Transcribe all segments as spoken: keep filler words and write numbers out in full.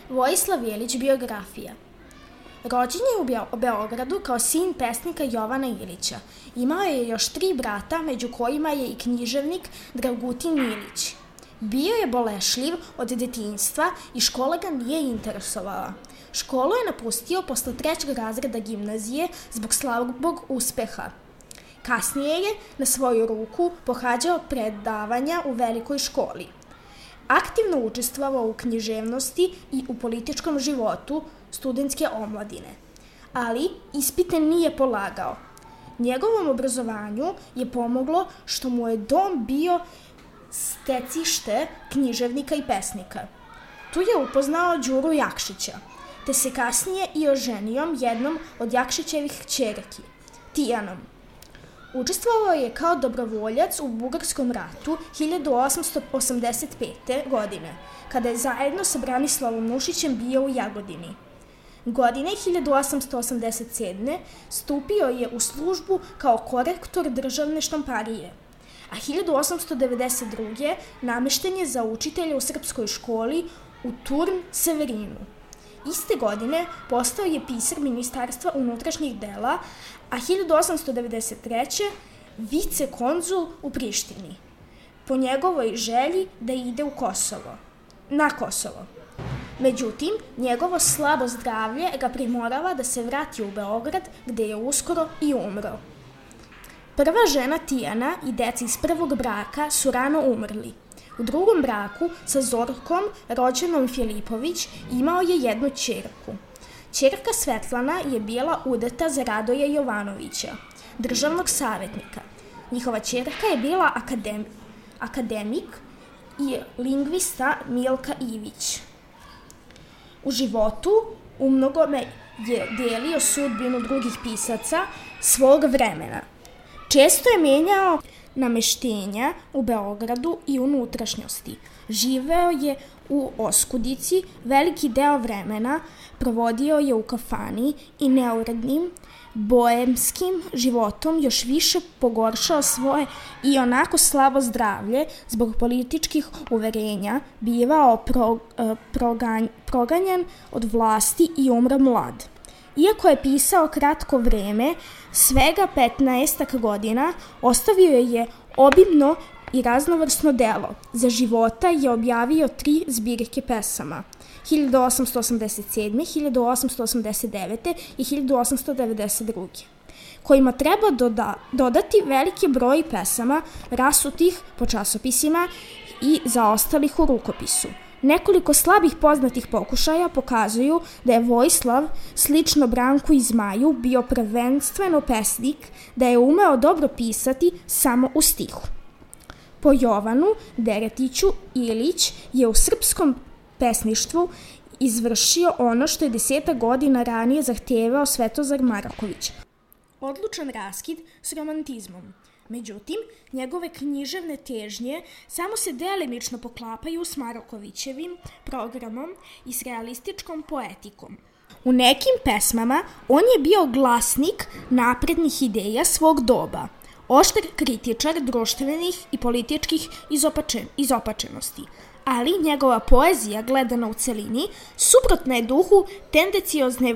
Vojislav Ilić, biografija. Rođen je u Beogradu kao sin pesnika Jovana Ilića. Imao je još tri brata, među kojima je i književnik Dragutin Ilić. Bio je bolešljiv od detinjstva i škola ga nije interesovala. Školu je napustio posle trećeg razreda gimnazije zbog slabog uspeha. Kasnije je na svoju ruku pohađao predavanja u velikoj školi. Aktivno učestvovao u književnosti i u političkom životu studentske omladine, ali ispite nije polagao. Njegovom obrazovanju je pomoglo što mu je dom bio stecište književnika i pesnika. Tu je upoznao Đuru Jakšića, te se kasnije i oženio jednom od Jakšićevih kćerki, Tijanom. Učestvovao je kao dobrovoljac u Bugarskom ratu hiljadu osamsto osamdeset pete. godine, kada je zajedno sa Branislavom Nušićem bio u Jagodini. Godine hiljadu osamsto osamdeset sedme. stupio je u službu kao korektor državne štamparije, a hiljadu osamsto devedeset druge. namešten je za učitelja u srpskoj školi u Turn Severinu. Iste godine postao je pisar Ministarstva unutrašnjih dela, a hiljadu osamsto devedeset treće. vicekonzul u Prištini, po njegovoj želji da ide u Kosovo, na Kosovo. Međutim, njegovo slabo zdravlje ga primorava da se vrati u Beograd, gde je uskoro i umro. Prva žena Tijana i deca iz prvog braka su rano umrli. U drugom braku sa Zorkom, rođenom Filipović, imao je jednu ćerku. Ćerka Svetlana je bila udata za Radoja Jovanovića, državnog savjetnika. Njihova ćerka je bila akadem, akademik i lingvista Milka Ivić. U životu u mnogome je delio sudbinu drugih pisaca svog vremena. Često je menjao nameštenja u Beogradu i unutrašnjosti. Živeo je u oskudici, veliki deo vremena provodio je u kafani i neurednim, boemskim životom još više pogoršao svoje i onako slabo zdravlje zbog političkih uverenja, bivao pro, proganj, proganjan od vlasti i umro mlad. Iako je pisao kratko vreme, svega petnaestak godina, ostavio je obimno i raznovrsno delo. Za života je objavio tri zbirke pesama, hiljadu osamsto osamdeset sedme. hiljadu osamsto osamdeset devete. i hiljadu osamsto devedeset druge. kojima treba doda, dodati veliki broj pesama rasutih po časopisima i zaostalih u rukopisu. Nekoliko slabih poznatih pokušaja pokazuju da je Vojislav, slično Branku i Zmaju, bio prvenstveno pesnik, da je umeo dobro pisati samo u stihu. Po Jovanu Deretiću Ilić je u srpskom pesništvu izvršio ono što je desetak godina ranije zahtevao Svetozar Maraković. Odlučan raskid s romantizmom. Međutim, njegove književne težnje samo se delimično poklapaju s Marakovićevim programom i s realističkom poetikom. U nekim pesmama on je bio glasnik naprednih ideja svog doba, oštar kritičar društvenih i političkih izopačen, izopačenosti, ali njegova poezija gledana u celini suprotna je duhu tendenciozne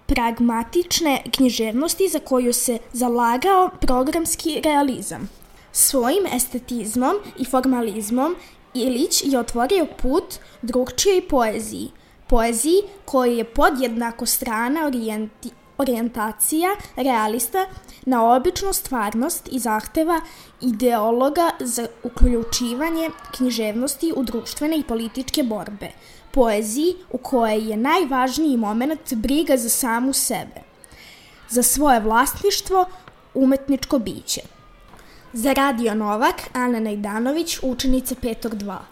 pragmatične književnosti za koju se zalagao programski realizam. Svojim estetizmom i formalizmom Ilić je otvorio put drugčijoj poeziji, poeziji koja je podjednako strana orijenti, orijentacija realista na običnu stvarnost i zahteva ideologa za uključivanje književnosti u društvene i političke borbe, poeziji u kojoj je najvažniji moment briga za samu sebe, za svoje vlasništvo, umetničko biće. Za Radio Novak, Ana Najdanović, učenica petog dva.